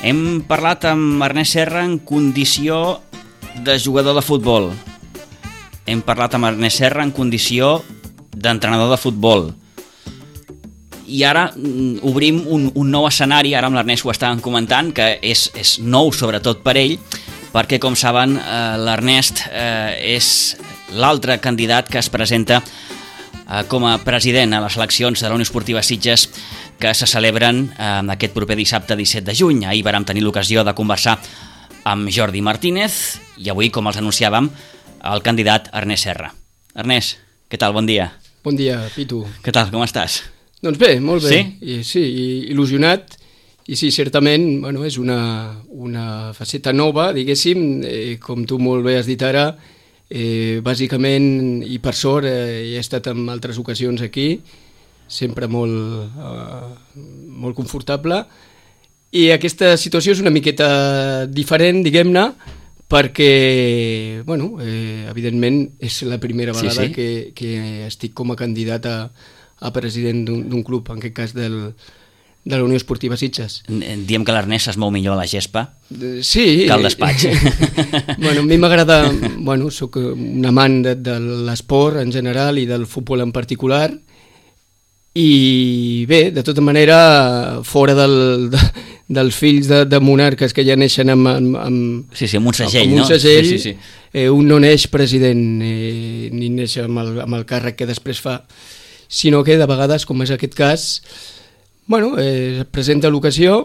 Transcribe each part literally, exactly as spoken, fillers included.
Hem parlat amb Ernest Serra en condició de jugador de futbol. Hem parlat amb Ernest Serra en condició d'entrenador de futbol. I ara obrim un, un nou escenari, ara amb l'Ernest ho estàvem comentant, que és, és nou sobretot per ell, perquè com saben eh, l'Ernest eh, és l'altre candidat que es presenta eh, com a president a les eleccions de la Unió Esportiva Sitges que se celebren eh, aquest proper dissabte disset de juny. Ahir vàrem tenir l'ocasió de conversar amb Jordi Martínez i avui, com els anunciàvem, el candidat Ernest Serra. Ernest, què tal? Bon dia. Bon dia, Pitu. Què tal? Com estàs? Doncs bé, molt bé. Sí? I, sí, il·lusionat. I sí, certament, bueno, és una, una faceta nova, diguéssim, eh, com tu molt bé has dit ara, eh, bàsicament, i per sort, eh, he estat en altres ocasions aquí, sempre molt, eh, molt confortable, i aquesta situació és una miqueta diferent, diguem-ne, perquè, bueno, eh, evidentment, és la primera vegada sí, sí. Que, que estic com a candidat a, a president d'un club, en aquest cas del, de la Unió Esportiva Sitges. Diem que l'Ernest es mou millor a la gespa sí, que al despatx. Bueno, a mi m'agrada, bueno, soc un amant de, de l'esport en general i del futbol en particular, i bé, de tota manera, fora del, de, dels fills de, de monarques que ja neixen amb, amb, amb, sí, sí, amb un segell, amb un no? segell, sí, sí, sí. Eh, un no neix president, eh, ni neix amb el, amb el càrrec que després fa, sinó que de vegades, com és aquest cas, bueno, eh, es presenta l'ocasió.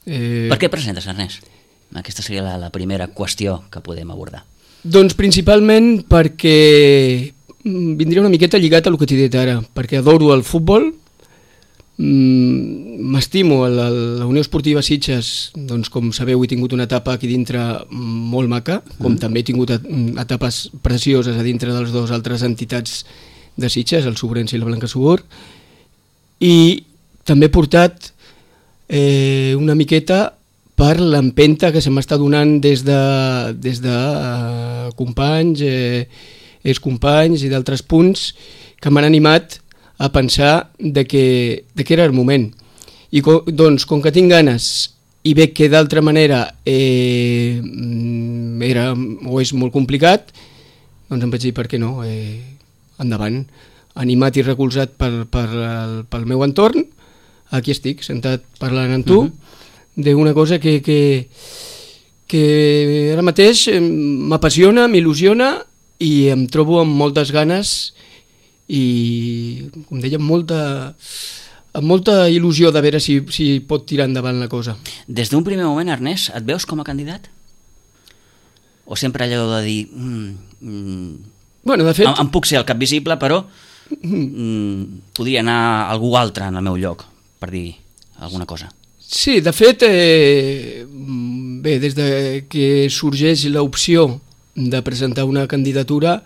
Eh... Per què presentes, Ernest? Aquesta seria la, la primera qüestió que podem abordar. Doncs principalment perquè vindria una miqueta lligat a el que t'he dit ara, perquè adoro el futbol, m'estimo a la, la Unió Esportiva Sitges, doncs com sabeu he tingut una etapa aquí dintre molt maca, com mm. també he tingut etapes precioses a dintre de les dues altres entitats de Sitges, el Sobrense i la Blanca Subur, i també he portat eh, una miqueta per l'empenta que se m'està donant des de, des de uh, companys, eh, excompanys i d'altres punts que m'han animat a pensar de que, de que era el moment. I co, doncs, com que tinc ganes i veig que d'altra manera eh, era o és molt complicat, doncs em vaig dir per què no, eh, endavant, animat i recolzat per, per el, pel meu entorn, aquí estic, sentat parlant amb tu, uh-huh. d'una cosa que, que, que ara mateix m'apassiona, m'il·lusiona i em trobo amb moltes ganes i, com deia, amb molta, amb molta il·lusió de veure si, si pot tirar endavant la cosa. Des d'un primer moment, Ernest, et veus com a candidat? O sempre allò de dir... Mm, mm, bueno, de fet... Em, em puc ser el cap visible, però mm, podria anar algú altre en el meu lloc, per dir alguna cosa. Sí, de fet, eh, bé, des de que sorgeix l'opció de presentar una candidatura,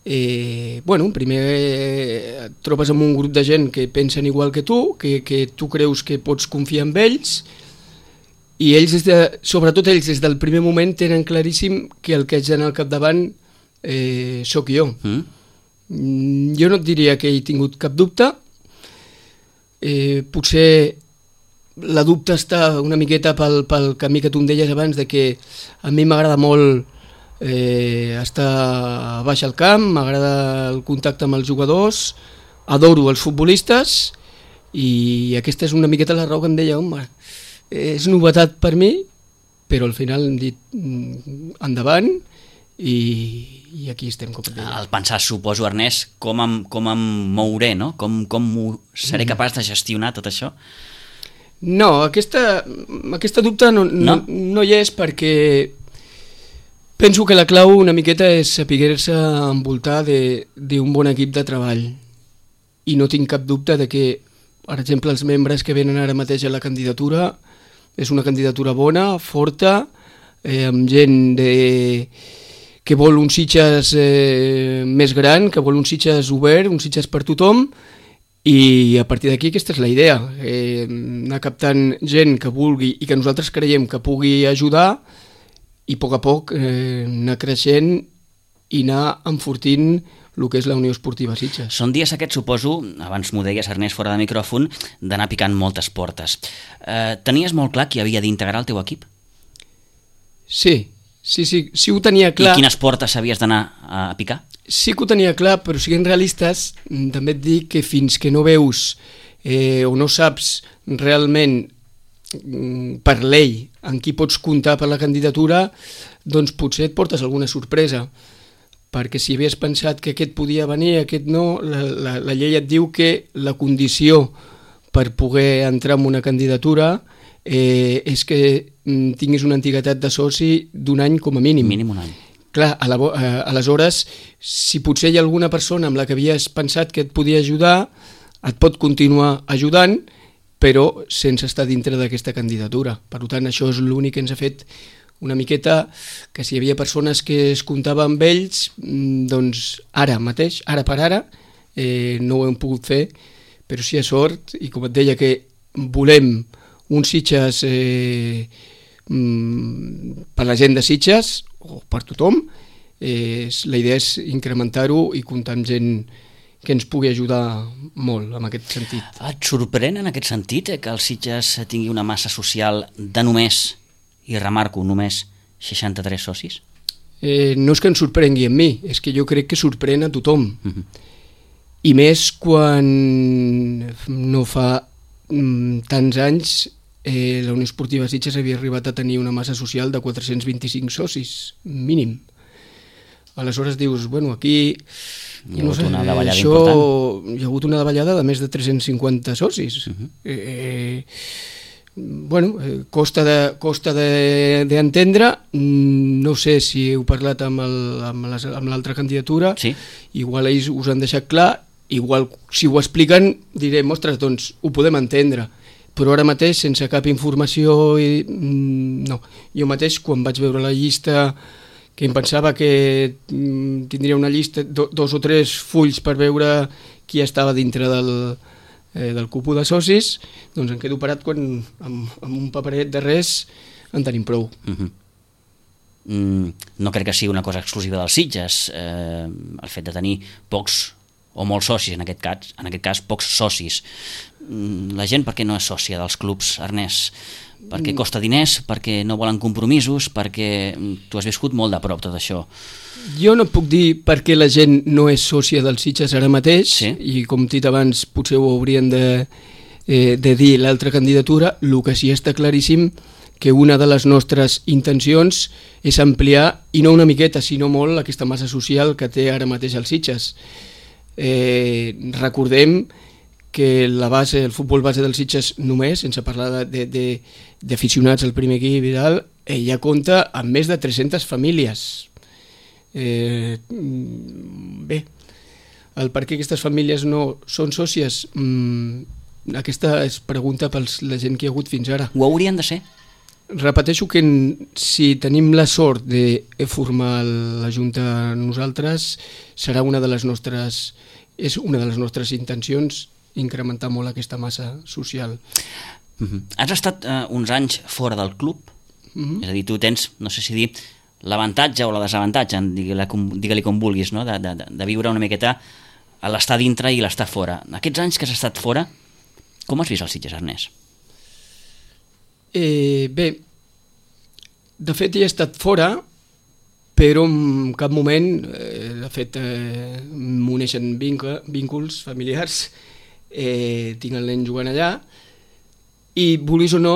eh, bueno, primer eh, et trobes amb un grup de gent que pensen igual que tu, que, que tu creus que pots confiar en ells, i ells, des de, sobretot ells, des del primer moment tenen claríssim que el que haig d'anar al capdavant eh, sóc jo. Mm? Jo no et diria que he tingut cap dubte, eh, potser la dubte està una miqueta pel, pel camí que tu em deies abans, de que a mi m'agrada molt eh, estar a baix al camp, m'agrada el contacte amb els jugadors, adoro els futbolistes, i aquesta és una miqueta la raó que em deia, home, és novetat per mi, però al final hem dit endavant, i, i aquí estem, com et deia. Al pensar, suposo, Ernest, com em, com em mouré, no? Com, com seré capaç de gestionar tot això? No, aquesta, aquesta dubte no, no? No, no hi és, perquè penso que la clau una miqueta és saber-se envoltar d'un bon equip de treball, i no tinc cap dubte de que, per exemple, els membres que venen ara mateix a la candidatura és una candidatura bona, forta, eh, amb gent de, que vol un Sitges eh, més gran, que vol un Sitges obert, un Sitges per tothom, i a partir d'aquí aquesta és la idea, eh, anar captant gent que vulgui i que nosaltres creiem que pugui ajudar, i a poc a poc eh, anar creixent i anar enfortint el que és la Unió Esportiva Sitges. Són dies aquests, suposo, abans m'ho deies, Ernest, fora de micròfon, d'anar picant moltes portes. Eh, tenies molt clar qui havia d'integrar el teu equip? Sí, sí, sí, sí ho tenia clar. I quines portes havies d'anar a picar? Sí que ho tenia clar, però siguent realistes, també et dic que fins que no veus eh, o no saps realment per llei en qui pots comptar per la candidatura, doncs potser et portes alguna sorpresa, perquè si havies pensat que aquest podia venir, aquest no, la, la, la llei et diu que la condició per poder entrar en una candidatura eh, és que tinguis una antiguitat de soci d'un any com a mínim. Mínim un any. Clar, a la, a, aleshores, si potser hi ha alguna persona amb la que havies pensat que et podia ajudar, et pot continuar ajudant, però sense estar dintre d'aquesta candidatura. Per tant, això és l'únic que ens ha fet una miqueta que si hi havia persones que es comptava amb ells, doncs ara mateix, ara per ara, eh, no ho hem pogut fer, però sí a sort, i com et deia que volem un Sitges eh, per la gent de Sitges, o per tothom, eh, la idea és incrementar-ho i comptar amb gent que ens pugui ajudar molt en aquest sentit. Et sorprèn en aquest sentit que el Sitges tingui una massa social de només, i remarco, només seixanta-tres socis? Eh, no és que ens sorprengui a mi, és que jo crec que sorprèn a tothom. Uh-huh. I més quan no fa mm, tants anys eh, la Unió Esportiva Sitges havia arribat a tenir una massa social de quatre-cents vint-i-cinc socis, mínim. Aleshores dius, bueno, aquí hi ha hagut no sé, una davallada això, important. Hi ha hagut una davallada de més de tres-cents cinquanta socis. Uh-huh. eh, bueno, eh, costa de, costa de, d'entendre, no sé si heu parlat amb, el, amb, les, amb l'altra candidatura, sí. Igual ells us han deixat clar, igual si ho expliquen direm, ostres, doncs ho podem entendre, però ara mateix sense cap informació i, no, jo mateix quan vaig veure la llista que em pensava que tindria una llista, do, dos o tres fulls per veure qui estava dintre del, eh, del cupo de socis, doncs em quedo parat quan amb, amb un paperet de res en tenim prou. Uh-huh. mm, no crec que sigui una cosa exclusiva dels Sitges, eh, el fet de tenir pocs o molts socis, en aquest cas, en aquest cas pocs socis. Mm, la gent per què no és sòcia dels clubs, Ernest? Perquè costa diners, perquè no volen compromisos, perquè tu has viscut molt de prop tot això. Jo no puc dir per què la gent no és sòcia dels Sitges ara mateix, sí. I com dit abans potser ho haurien de, eh, de dir l'altra candidatura. El que sí està claríssim que una de les nostres intencions és ampliar, i no una miqueta, sinó molt, aquesta massa social que té ara mateix els Sitges. Eh, recordem que la base, el futbol base dels Sitges només, sense parlar de, de, d'aficionats al primer equip i tal, eh, ja compta amb més de tres-centes famílies. Eh, bé, el per què aquestes famílies no són sòcies, mm, aquesta és pregunta per la gent que hi ha hagut fins ara. Ho haurien de ser? Repeteixo que si tenim la sort de formar la Junta nosaltres, serà una de les nostres, és una de les nostres intencions incrementar molt aquesta massa social. Uh-huh. Has estat uh, uns anys fora del club, uh-huh. És a dir, tu tens, no sé si dir, l'avantatge o la desavantatge, digue-li com, digue-li com vulguis, no? de, de, de viure una miqueta a l'estar dintre i l'estar fora. Aquests anys que has estat fora, com has vist el Sitges, Ernest? Eh, bé, de fet he estat fora, però en cap moment, eh, de fet, eh, m'uneixen vínculs familiars, eh, tinc el nen jugant allà, i vulguis o no,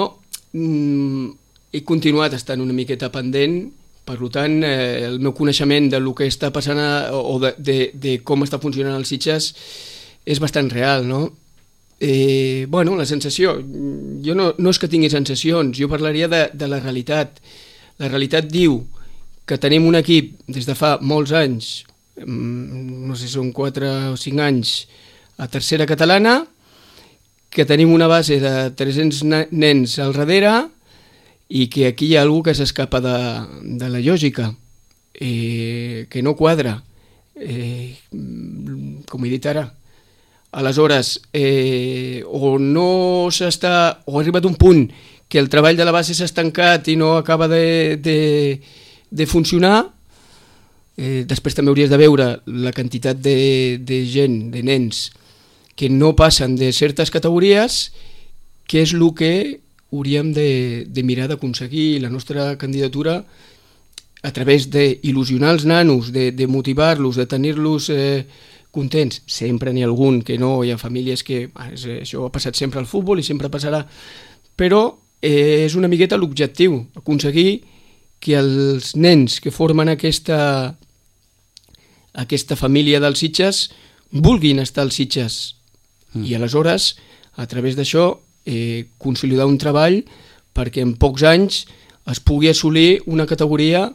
mm, he continuat estant una miqueta pendent, per tant, eh, el meu coneixement del que està passant a, o de, de, de com està funcionant el Sitges és bastant real, no? Eh, bueno, la sensació, jo no, no és que tingui sensacions, jo parlaria de, de la realitat. La realitat diu que tenim un equip des de fa molts anys, no sé si són quatre o cinc anys, a tercera catalana, que tenim una base de tres-cents nens al darrere i que aquí hi ha algú que s'escapa de, de la lògica, eh, que no quadra, eh, com he dit ara. Aleshores, eh, o no s'està, o ha arribat un punt que el treball de la base s'ha estancat i no acaba de, de, de funcionar, Eh, després també hauries de veure la quantitat de, de gent, de nens, que no passen de certes categories, que és el que hauríem de, de mirar d'aconseguir. La nostra candidatura, a través d'il·lusionar els nanos, de, de motivar-los, de tenir-los eh, contents. Sempre n'hi ha algun que no, hi ha famílies que ah, és, això ha passat sempre al futbol i sempre passarà, però eh, és una miqueta l'objectiu, aconseguir que els nens que formen aquesta, aquesta família dels Sitges vulguin estar als Sitges mm. i aleshores, a través d'això, eh, consolidar un treball perquè en pocs anys es pugui assolir una categoria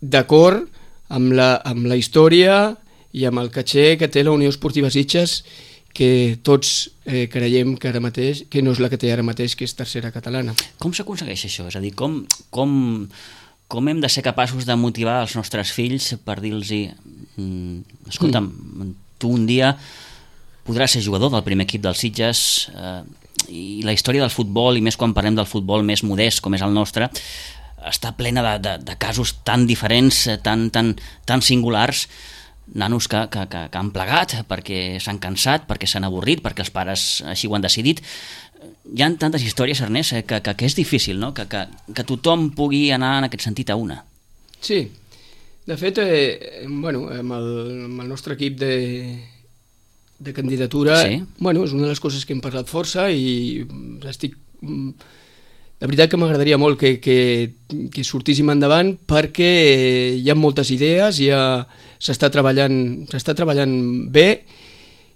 d'acord amb la, amb la història i amb el caché que té la Unió Esportiva Sitges, que tots eh, creiem que ara mateix, que no és la que té ara mateix, que és tercera catalana. Com s'aconsegueix això? És a dir, com, com, com hem de ser capaços de motivar els nostres fills per dir-los mm, escolta'm, mm. tu un dia podràs ser jugador del primer equip dels Sitges, eh, i la història del futbol, i més quan parlem del futbol més modest com és el nostre, està plena de, de, de casos tan diferents, tan, tan, tan singulars, nanos que, que, que, que han plegat perquè s'han cansat, perquè s'han avorrit, perquè els pares així ho han decidit. Hi ha tantes històries, Ernest, que, que, que és difícil, no? que, que, que tothom pugui anar en aquest sentit a una. Sí, de fet, eh, bueno, amb, el, amb el nostre equip de, de candidatura, sí. bueno, és una de les coses que hem parlat força i estic... La veritat que m'agradaria molt que, que, que sortíssim endavant perquè hi ha moltes idees, ja s'està treballant, s'està treballant bé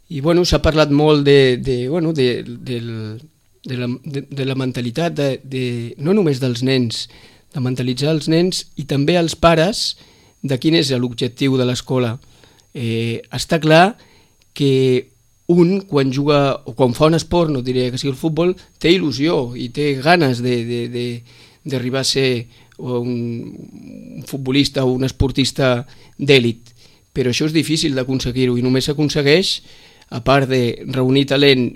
i bueno, s'ha parlat molt de, de, bueno, de, de, de, la, de, de la mentalitat, de, de, no només dels nens, de mentalitzar els nens i també els pares de quin és l'objectiu de l'escola. Eh, està clar que un, quan juga o quan fa un esport, no diria que sigui el futbol, té il·lusió i té ganes d'arribar a ser un, un futbolista o un esportista d'èlit. Però això és difícil d'aconseguir-ho i només s'aconsegueix, a part de reunir talent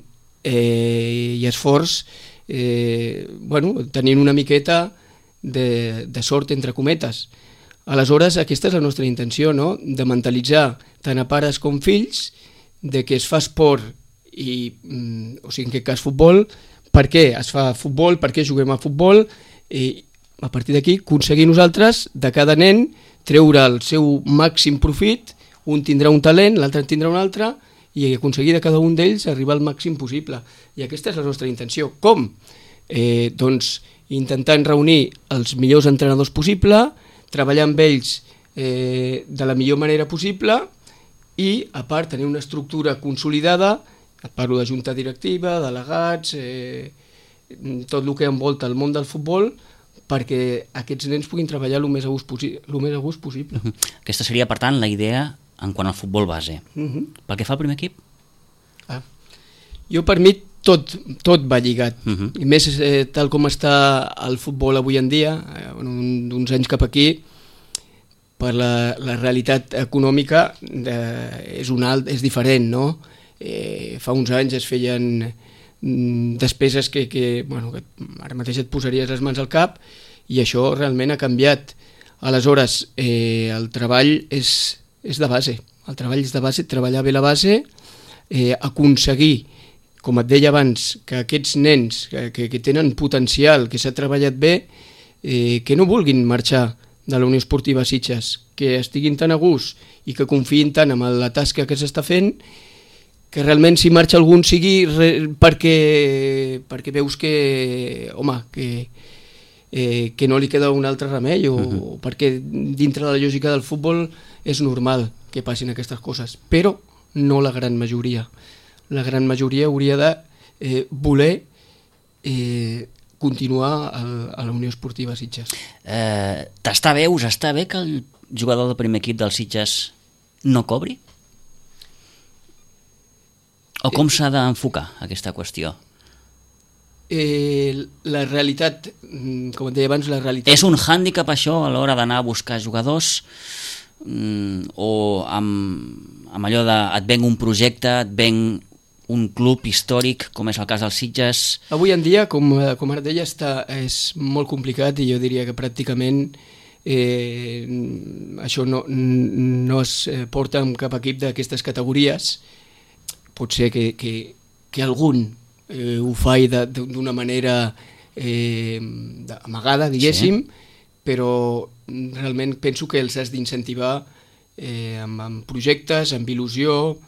eh, i esforç, eh, bueno, tenint una miqueta de, de sort entre cometes. Aleshores, aquesta és la nostra intenció, no? De mentalitzar tant a pares com fills de que es fa esport i, o sigui, en aquest cas futbol, per què es fa futbol, per què juguem a futbol, i a partir d'aquí aconseguir nosaltres de cada nen treure el seu màxim profit, un tindrà un talent, l'altre en tindrà un altre, i aconseguir de cada un d'ells arribar al màxim possible. I aquesta és la nostra intenció. Com? Eh, doncs intentant reunir els millors entrenadors possible, treballar amb ells eh, de la millor manera possible, i, a part, tenir una estructura consolidada, parlo de junta directiva, delegats, eh, tot el que envolta el món del futbol, perquè aquests nens puguin treballar el més a gust, possi el més a gust possible. Uh-huh. Aquesta seria, per tant, la idea en quant al futbol base. Uh-huh. Pel que fa al primer equip? Ah. Jo, per mi, tot, tot va lligat. Uh-huh. I més eh, tal com està el futbol avui en dia, eh, uns anys cap aquí, per la, la realitat econòmica eh, és, un alt, és diferent, no? Eh, fa uns anys es feien mm, despeses que, que, bueno, que ara mateix et posaries les mans al cap i això realment ha canviat. Aleshores, eh, el treball és, és de base, el treball és de base, treballar bé la base, eh, aconseguir, com et deia abans, que aquests nens que, que, que tenen potencial, que s'ha treballat bé, eh, que no vulguin marxar de la Unió Esportiva Sitges, que estiguin tan a gust i que confiïn tant en la tasca que s'està fent, que realment si marxa algun sigui perquè, perquè veus que, home, que, eh, que no li queda un altre remei o, uh-huh. o perquè dintre de la lògica del futbol és normal que passin aquestes coses, però no la gran majoria. La gran majoria hauria de eh, voler eh, continuar a, a la Unió Esportiva Sitges. Eh, T'està bé, us està bé que el jugador del primer equip dels Sitges no cobri? O com s'ha d'enfocar aquesta qüestió? Eh, la realitat, com et deia abans, la realitat... És un hàndicap això a l'hora d'anar a buscar jugadors mm, o amb, amb allò de et venc un projecte, et venc un club històric, com és el cas dels Sitges? Avui en dia, com, com ara deia, està, és molt complicat i jo diria que pràcticament eh, això no, no es porta amb cap equip d'aquestes categories. Pot ser que, que, que algun eh, ho fa d'una manera eh, amagada, diguéssim, sí. Però realment penso que els has d'incentivar eh, amb, amb projectes, amb il·lusió,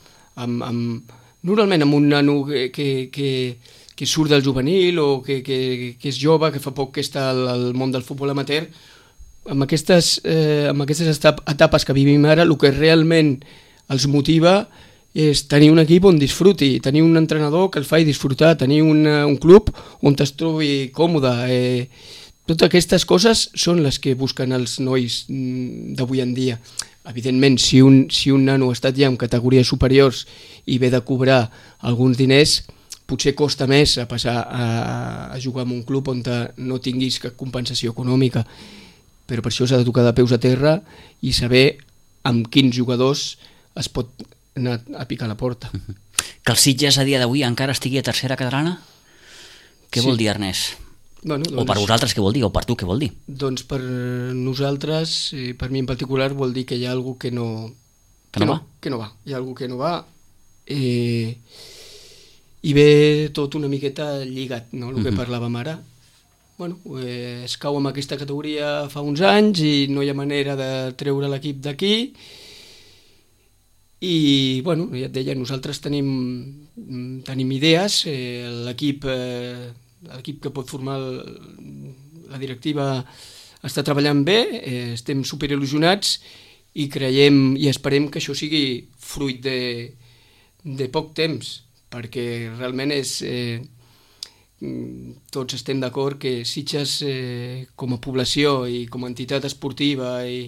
amb, amb, normalment amb un nano que, que, que que surt del juvenil o que, que, que és jove, que fa poc que està al, al món del futbol amateur, amb aquestes, eh, amb aquestes etapes que vivim ara, el que realment els motiva és tenir un equip on disfruti, tenir un entrenador que el faci disfrutar, tenir una, un club on es trobi còmode. Eh, totes aquestes coses són les que busquen els nois d'avui en dia. Evidentment, si un, si un nano ha estat ja en categories superiors i ve de cobrar alguns diners, potser costa més a passar a, a jugar en un club on no tinguis cap compensació econòmica, però per això s'ha de tocar de peus a terra i saber amb quins jugadors es pot anar a picar la porta. Que el Sitges a dia d'avui encara estigui a tercera catalana? Què sí. Vol dir, Ernest? Bueno, doncs, o per vosaltres què vol dir, o per tu què vol dir? Doncs per nosaltres, per mi en particular, vol dir que hi ha algú que no, que no, que no va. Que no va. Hi ha algú que no va. Eh, I ve tot una miqueta lligat, no? El que uh-huh. parlàvem ara. Bueno, eh, es cau en aquesta categoria fa uns anys i no hi ha manera de treure l'equip d'aquí. I, bueno, ja et deia, nosaltres tenim, tenim idees. Eh, l'equip, eh, l'equip que pot formar el, la directiva està treballant bé, eh, estem superil·lusionats i creiem i esperem que això sigui fruit de, de poc temps, perquè realment és, eh, tots estem d'acord que Sitges eh, com a població i com a entitat esportiva i,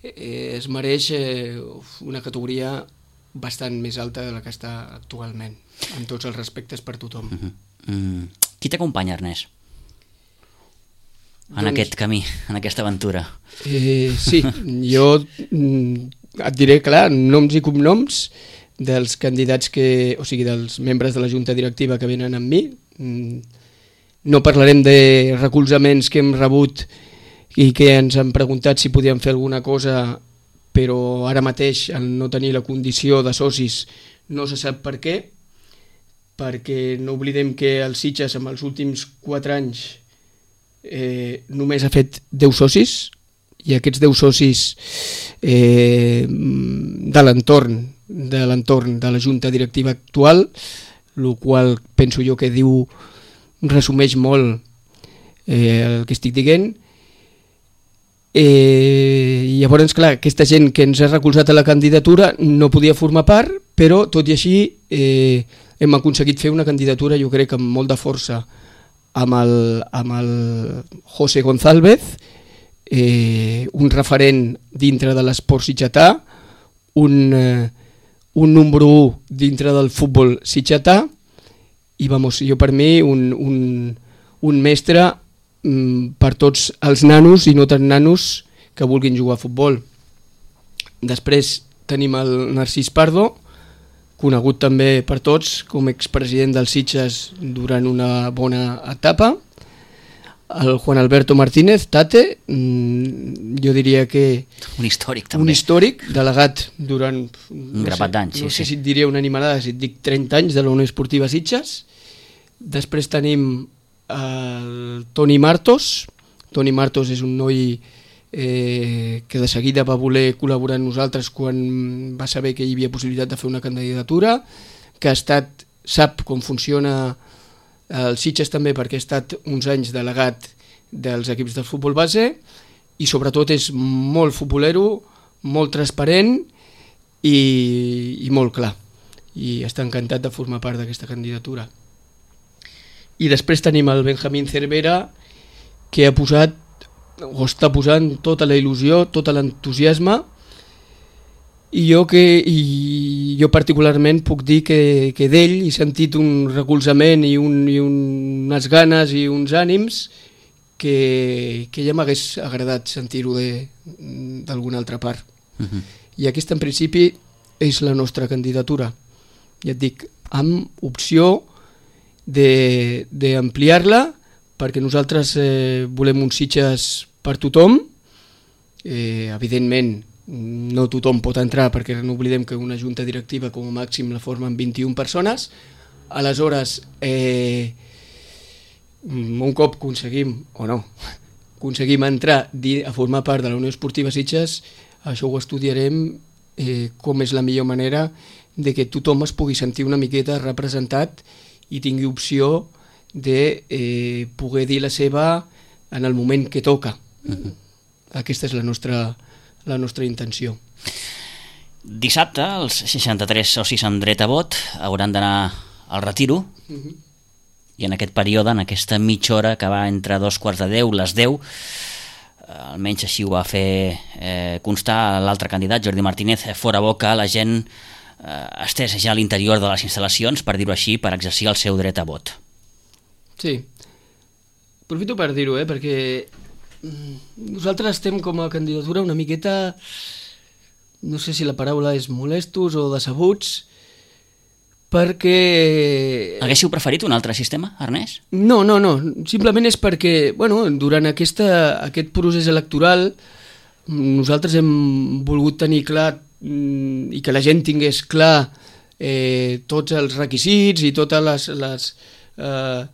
eh, es mereix eh, una categoria bastant més alta de la que està actualment, amb tots els respectes per tothom. Uh-huh. Mm. Qui t'acompanya, Ernest? En doncs, aquest camí, en aquesta aventura? Eh, sí, jo et diré, clar, noms i cognoms dels candidats que, o sigui, dels membres de la junta directiva que venen amb mi. No parlarem de recolzaments que hem rebut i que ens han preguntat si podíem fer alguna cosa, però ara mateix, al no tenir la condició de socis, no se sap per què, perquè no oblidem que el Sitges en els últims quatre anys eh, només ha fet deu socis, i aquests deu socis eh, de l'entorn de l'entorn de la junta directiva actual, el qual penso jo que diu, resumeix molt eh, el que estic dient. Eh, i llavors, clar, aquesta gent que ens ha recolzat a la candidatura no podia formar part, però tot i així eh, hem aconseguit fer una candidatura, jo crec, amb molt de força, amb el, amb el José González, eh, un referent dintre de l'esport sitgetà, un... Eh, un número u dintre del futbol sitgetà i vamos, jo per mi un, un, un mestre mm, per tots els nanos i no tan nanos que vulguin jugar a futbol. Després tenim el Narcís Pardo, conegut també per tots com expresident del Sitges durant una bona etapa. El Juan Alberto Martínez, Tate, jo diria que... Un històric, també. Un històric, delegat durant... Un no grapat d'anys, sí, no sé sí. si et diria una animalada, si et dic trenta anys de la Unió Esportiva Sitges. Després tenim el Toni Martos. Toni Martos és un noi eh, que de seguida va voler col·laborar amb nosaltres quan va saber que hi havia possibilitat de fer una candidatura, que ha estat, sap com funciona el Sitges també perquè ha estat uns anys delegat dels equips del futbol base i sobretot és molt futbolero, molt transparent i, i molt clar, i està encantat de formar part d'aquesta candidatura. I després tenim el Benjamín Cervera, que ha posat o està posant tota la il·lusió, tot l'entusiasme, i jo, que, i jo particularment puc dir que, que d'ell he sentit un recolzament i, un, i un, unes ganes i uns ànims que, que ja m'hagués agradat sentir-ho d'alguna altra part. Uh-huh. I aquesta en principi és la nostra candidatura. Ja et dic, amb opció d'ampliar-la, perquè nosaltres eh, volem uns Sitges per tothom, Eh, evidentment, no tothom pot entrar perquè no oblidem que una junta directiva com a màxim la formen vint-i-una persones. Aleshores, eh, un cop aconseguim, o no, aconseguim entrar a formar part de la Unió Esportiva Sitges, això ho estudiarem eh, com és la millor manera de que tothom es pugui sentir una miqueta representat i tingui opció de eh, poder dir la seva en el moment que toca. Uh-huh. Aquesta és la nostra, la nostra intenció. Dissabte, els seixanta-tres socis amb dret a vot hauran d'anar al retiro, uh-huh. i en aquest període, en aquesta mitja hora que va entre dos quarts de deu, les deu, almenys així ho va fer eh, constar l'altre candidat, Jordi Martínez, fora bo que la gent eh, estès ja a l'interior de les instal·lacions, per dir-ho així, per exercir el seu dret a vot. Sí, aprofito per dir-ho, eh, perquè nosaltres estem com a candidatura una miqueta, no sé si la paraula és molestos o decebuts, perquè... Haguéssiu preferit un altre sistema, Ernest? No, no, no, simplement és perquè, bueno, durant aquesta, aquest procés electoral nosaltres hem volgut tenir clar i que la gent tingués clar eh, tots els requisits i totes les... les eh,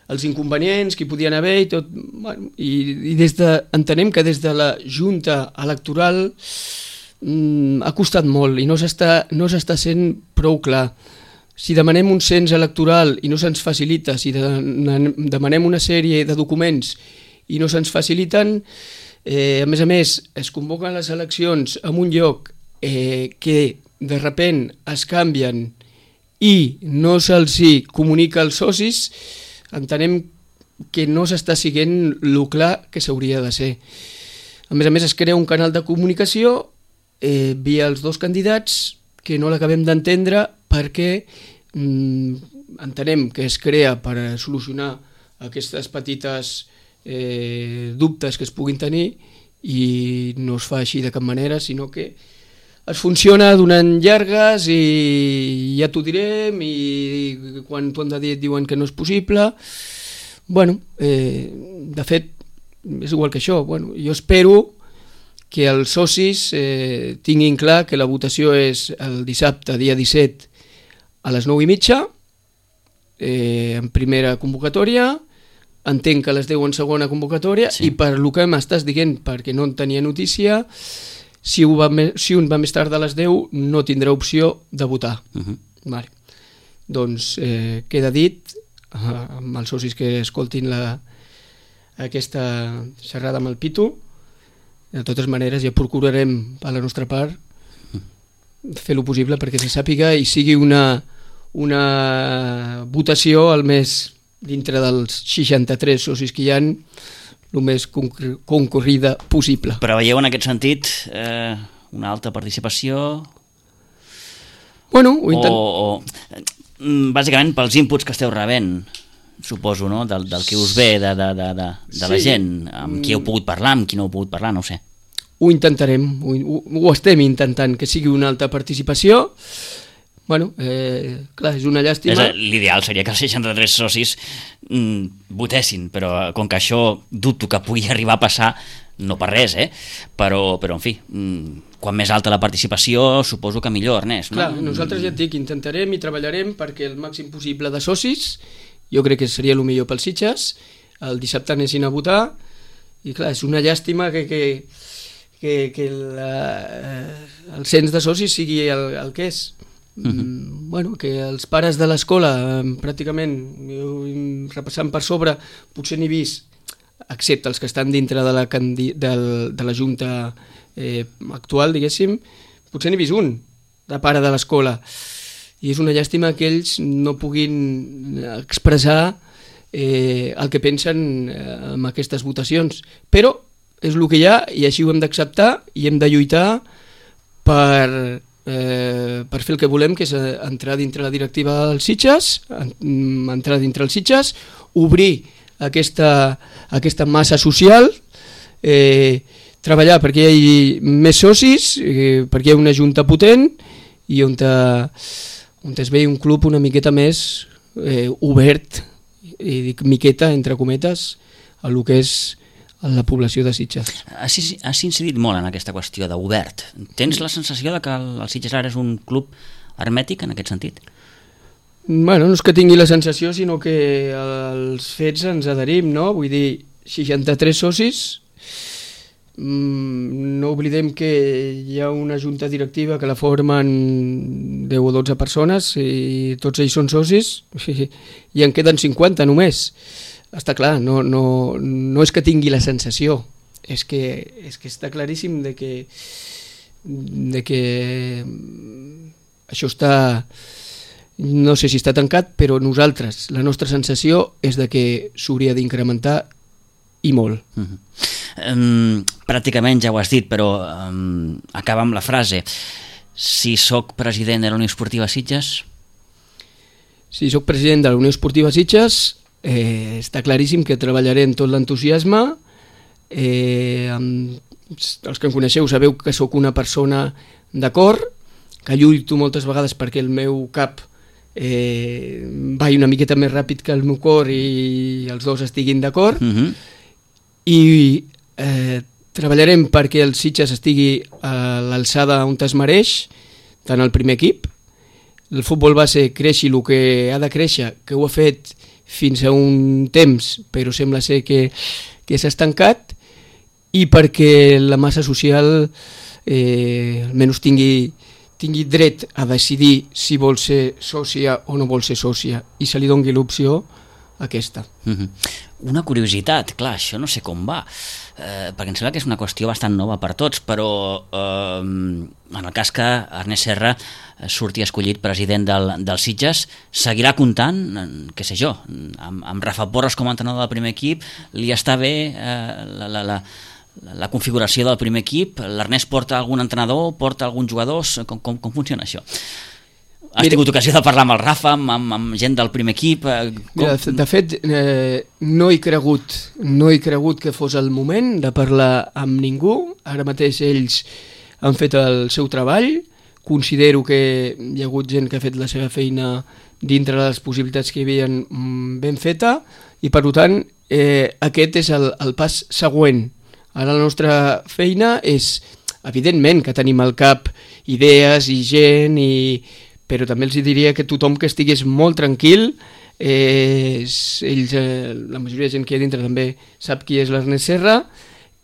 els inconvenients que hi podien haver i tot, bueno, i, i des de, entenem que des de la Junta Electoral mm, ha costat molt i no s'està no s'està sent prou clar. Si demanem un cens electoral i no se'ns facilita, si de, demanem una sèrie de documents i no se'ns faciliten, eh, a més a més es convoquen les eleccions en un lloc eh, que de repent es canvien i no se'ls comunica als socis, entenem que no s'està siguent el clar que s'hauria de ser. A més a més es crea un canal de comunicació eh, via els dos candidats que no l'acabem d'entendre perquè mm, entenem que es crea per solucionar aquestes petites eh, dubtes que es puguin tenir i no es fa així de cap manera, sinó que es funciona donant llargues i ja t'ho direm i quan t'ho han de dir et diuen que no és possible. Bueno, eh, de fet, és igual que això. Bueno, jo espero que els socis eh, tinguin clar que la votació és el dissabte, dia disset, a les nou i mitja, eh, en primera convocatòria, entenc que a les deu en segona convocatòria, sí. I per el que m'estàs dient, perquè no en tenia notícia, Si, va me, si un va més tard de les deu no tindrà opció de votar. Uh-huh. Vale. Doncs eh, queda dit eh, amb els socis que escoltin la, aquesta xerrada amb el Pitu. De totes maneres ja procurarem a la nostra part fer lo possible perquè se sàpiga i sigui una, una votació al més dintre dels seixanta-tres socis que hi ha, el més concurrida possible. Però veieu en aquest sentit eh, una alta participació? Bueno, ho intent... o, o bàsicament pels inputs que esteu rebent, suposo, no? Del, del que us ve de, de, de, de, de sí. La gent, amb qui heu pogut parlar, amb qui no heu pogut parlar, no ho sé. Ho intentarem, ho, ho, ho estem intentant, que sigui una alta participació. Bueno, eh, clar, és una llàstima. L'ideal seria que els seixanta-tres socis mm, votessin, però com que això dubto que pugui arribar a passar, no per res, eh? Però, però en fi, mm, quan més alta la participació, suposo que millor, Ernest. No? Clar, nosaltres ja et dic, intentarem i treballarem perquè el màxim possible de socis, jo crec que seria el millor pels Sitges, el dissabte anessin a votar, i clar, és una llàstima que, que, que, que la, el cens de socis sigui el, el que és. Uh-huh. Bueno, que els pares de l'escola pràcticament repassant per sobre potser n'hi vist, excepte els que estan dintre de la, candi- de, de la junta eh, actual, diguéssim, potser n'hi vist un de pare de l'escola i és una llàstima que ells no puguin expressar eh, el que pensen eh, amb aquestes votacions, però és el que hi ha i així ho hem d'acceptar i hem de lluitar per Eh, per fer el que volem, que és entrar dintre la directiva dels Sitges, entrar dintre els Sitges, obrir aquesta, aquesta massa social, eh, treballar perquè hi hagi més socis, eh, perquè hi ha una junta potent i on, te, on es vegi un club una miqueta més eh, obert, i dic miqueta entre cometes, a lo que és a la població de Sitges. Has, has incidit molt en aquesta qüestió d'obert. Tens la sensació de que el, el Sitges ara és un club hermètic en aquest sentit? Bueno, no és que tingui la sensació, sinó que els fets ens adherim, no? Vull dir, seixanta-tres socis, mm, no oblidem que hi ha una junta directiva que la formen deu o dotze persones i tots ells són socis i en queden cinquanta només. Està clar, no, no, no és que tingui la sensació, és que, és que està claríssim de que, de que això està... No sé si està tancat, però nosaltres, la nostra sensació és de que s'hauria d'incrementar i molt. Uh-huh. um, pràcticament ja ho has dit, però um, acaba amb la frase. Si sóc president de la Unió Esportiva Sitges... Si sóc president de la Unió Esportiva Sitges, eh, està claríssim que treballaré amb tot l'entusiasme. Eh, amb, els que em coneixeu sabeu que sóc una persona d'acord, que lluito moltes vegades perquè el meu cap eh, vai una miqueta més ràpid que el meu cor i els dos estiguin d'acord. Uh-huh. I eh, treballarem perquè el Sitges estigui a l'alçada on es mereix, tant el primer equip. El futbol base creixi el que ha de créixer, que ho ha fet fins a un temps, però sembla ser que, que s'ha estancat, i perquè la massa social eh, almenys tingui tingui dret a decidir si vol ser sòcia o no vol ser sòcia i se li doni l'opció aquesta. Uh-huh. Una curiositat, clar, això no sé com va, eh, perquè em sembla que és una qüestió bastant nova per tots, però eh, en el cas que Ernest Serra surti escollit president del, del Sitges, seguirà comptant, què sé jo, amb, amb Rafa Porres com a entrenador del primer equip, li està bé eh, la... la, la la configuració del primer equip? L'Ernest porta algun entrenador, porta alguns jugadors? Com, com, com funciona això? Has Mira, tingut ocasió de parlar amb el Rafa, amb, amb, amb gent del primer equip? Com... Mira, de fet, eh, no he cregut no he cregut que fos el moment de parlar amb ningú. Ara mateix ells han fet el seu treball. Considero que hi ha hagut gent que ha fet la seva feina dintre de les possibilitats que hi havia ben feta i, per tant, eh, aquest és el, el pas següent. Ara la nostra feina és, evidentment, que tenim al cap idees i gent, i... però també els diria que tothom que estigués molt tranquil, eh, ells, eh, la majoria de gent que hi ha dintre també sap qui és l'Ernest Serra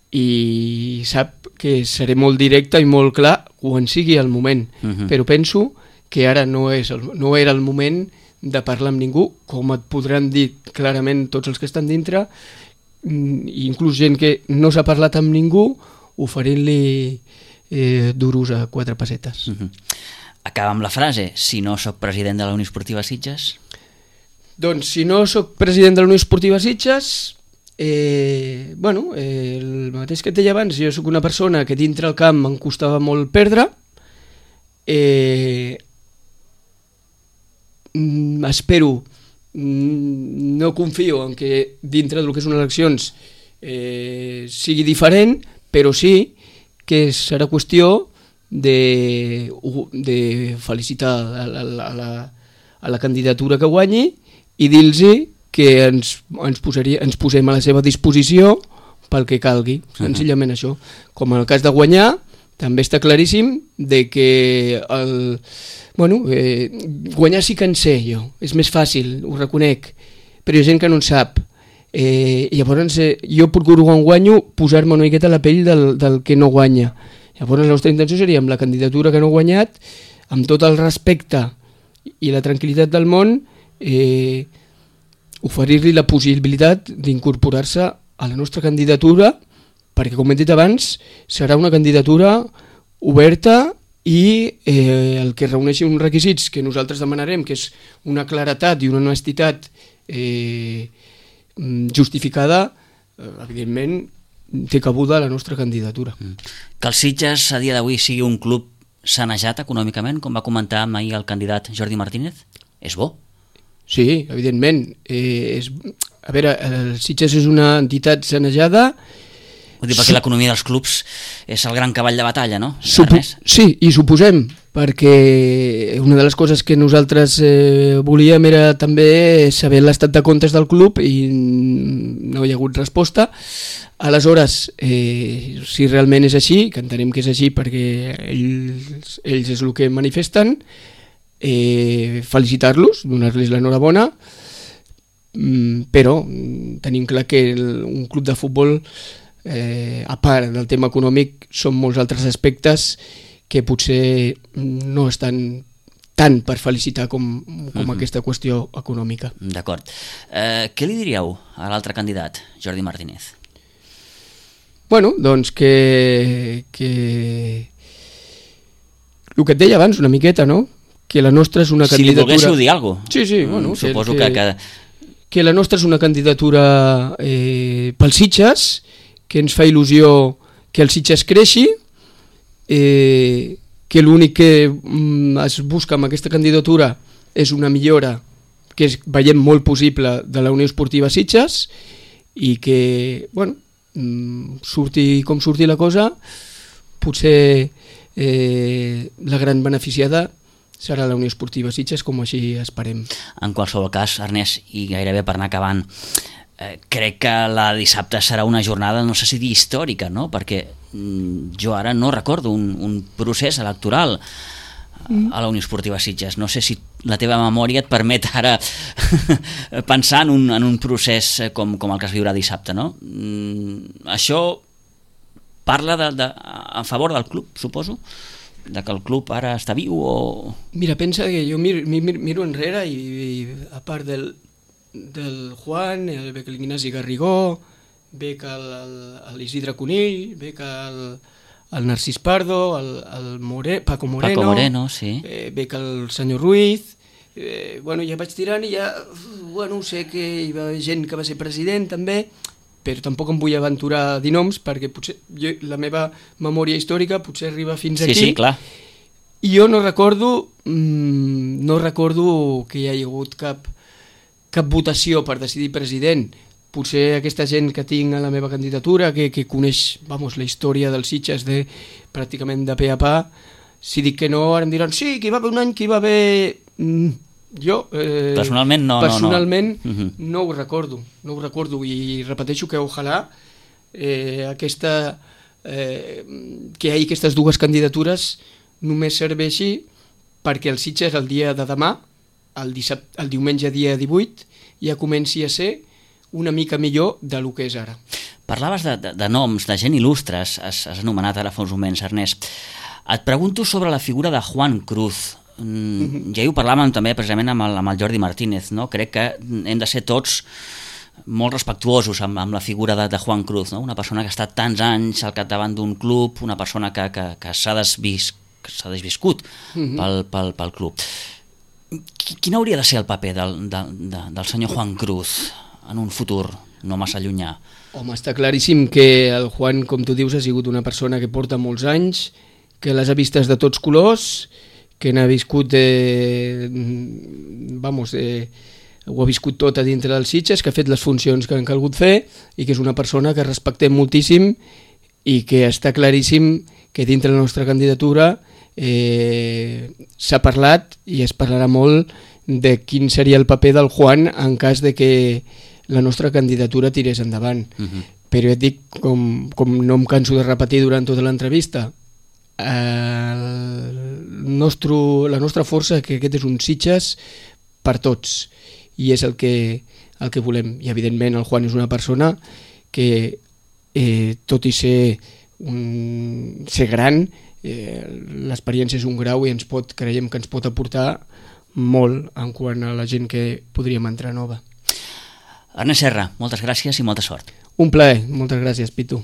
i sap que seré molt directe i molt clar quan sigui el moment, uh-huh. Però penso que ara no, és el, no era el moment de parlar amb ningú, com et podran dir clarament tots els que estan dintre, inclús gent que no s'ha parlat amb ningú, oferint-li eh, duros a quatre pessetes. Uh-huh. Acaba amb la frase, si no sóc president de la Unió Esportiva Sitges? Doncs si no sóc president de la Unió Esportiva Sitges, eh, bueno, eh, el mateix que et deia abans, jo sóc una persona que dintre el camp em costava molt perdre, eh, espero, no confio en que dintre del que són eleccions eh, sigui diferent, però sí que serà qüestió de, de felicitar a la, a, la, a la candidatura que guanyi i dir-los que ens, ens, posaria, ens posem a la seva disposició pel que calgui, senzillament uh-huh. Això. Com en el cas de guanyar, també està claríssim de que el, bueno, eh, guanyar sí que en sé jo, és més fàcil, ho reconec, però hi ha gent que no en sap. Eh, llavors eh, jo procuro quan guanyo posar-me una miqueta a la pell del, del que no guanya. Llavors la nostra intenció seria amb la candidatura que no ha guanyat, amb tot el respecte i la tranquil·litat del món, eh, oferir-li la possibilitat d'incorporar-se a la nostra candidatura, perquè, com he dit abans, serà una candidatura oberta i eh, el que reuneixi uns requisits que nosaltres demanarem, que és una claretat i una honestitat eh, justificada, eh, evidentment té cabuda la nostra candidatura. Mm. Que el Sitges a dia d'avui sigui un club sanejat econòmicament, com va comentar ahir el candidat Jordi Martínez, és bo? Sí, evidentment. Eh, és, a veure, el Sitges és una entitat sanejada. Vull dir, perquè l'economia dels clubs és el gran cavall de batalla, no? Supo- sí, i suposem perquè una de les coses que nosaltres eh, volíem era també saber l'estat de comptes del club i no hi ha hagut resposta. Aleshores, eh, si realment és així, que entenem que és així perquè ells, ells és el que manifesten, eh, felicitar-los, donar-los l'enhorabona, però tenim clar que el, un club de futbol, eh, a part del tema econòmic, són molts altres aspectes que potser no estan tant per felicitar com, com uh-huh. aquesta qüestió econòmica. D'acord. Eh, què li diríeu a l'altre candidat, Jordi Martínez? Bueno, doncs que, que... el que et deia abans una miqueta, no? Que la nostra és una candidatura... Si li volguéssiu dir alguna cosa. Sí, sí, bueno... Suposo que... que... que la nostra és una candidatura eh, pels Sitges, que ens fa il·lusió que el Sitges creixi, eh, que l'únic que mm, es busca amb aquesta candidatura és una millora que és, veiem molt possible de la Unió Esportiva Sitges i que, bueno, mm, surti com surti la cosa, potser eh, la gran beneficiada serà la Unió Esportiva Sitges, com així esperem. En qualsevol cas, Ernest, i gairebé per anar acabant, eh, crec que la dissabte serà una jornada, no sé si dir històrica, no? Perquè mm, jo ara no recordo un, un procés electoral mm. a la Unió Esportiva Sitges. No sé si la teva memòria et permet ara pensar en un, en un procés com, com el que es viurà dissabte, no? Mm, això parla de, de, a favor del club, suposo? De que el club ara està viu o... Mira, pensa que jo miro, miro, miro enrere i, i a part del, del Juan, el, ve que l'Ignasi Garrigó, ve que l'Isidre Conill, ve que el, el Narcís Pardo, el, el More, Paco Moreno, Paco Moreno sí. eh, ve que el senyor Ruiz, eh, bueno, ja vaig tirant i ja, bueno, sé que hi va haver gent que va ser president també, però tampoc em vull aventurar a dir noms perquè potser jo, la meva memòria històrica potser arriba fins sí, aquí. Sí, clar. I jo no recordo mmm, no recordo que hi hagi hagut cap, cap votació per decidir president. Potser aquesta gent que tinc a la meva candidatura, que, que coneix vamos, la història dels Sitges de, pràcticament de pe a pa, si dic que no, ara em diran sí, que hi va haver un any que hi va haver... Mm, jo eh, personalment no, personalment no, no. Uh-huh. no ho recordo no ho recordo i repeteixo que ojalà eh, aquesta eh, que hi hagi aquestes dues candidatures només serveixi perquè el Sitges el dia de demà el, dissabte, el diumenge dia divuit ja comenci a ser una mica millor del que és ara. Parlaves de, de, de noms, de gent il·lustre, has, has anomenat ara fa uns moments, Ernest. Et pregunto sobre la figura de Juan Cruz. Mm, ja hi ho parlàvem també precisament amb el, amb el Jordi Martínez, no? Crec que hem de ser tots molt respectuosos amb, amb la figura de, de Juan Cruz, no? Una persona que ha estat tants anys al capdavant d'un club, una persona que, que, que s'ha desvis, desviscut mm-hmm. pel, pel, pel club. Quin hauria de ser el paper del, de, de, del senyor Juan Cruz en un futur no massa llunyà? Home, està claríssim que el Juan, com tu dius, ha sigut una persona que porta molts anys, que les ha vistes de tots colors, que n'ha viscut eh, vamos, eh, ho ha viscut tot a dintre dels Sitges, que ha fet les funcions que han calgut fer i que és una persona que respectem moltíssim i que està claríssim que dintre la nostra candidatura eh, s'ha parlat i es parlarà molt de quin seria el paper del Juan en cas de que la nostra candidatura tirés endavant. Uh-huh. Però ja et dic, com, com no em canso de repetir durant tota l'entrevista, el nostre, la nostra força que aquest és un Sitges per tots i és el que, el que volem i evidentment el Juan és una persona que eh, tot i ser, un, ser gran eh, l'experiència és un grau i ens pot, creiem que ens pot aportar molt en quant a la gent que podríem entrar nova. Ernest Serra, moltes gràcies i molta sort. Un plaer, moltes gràcies, Pitu.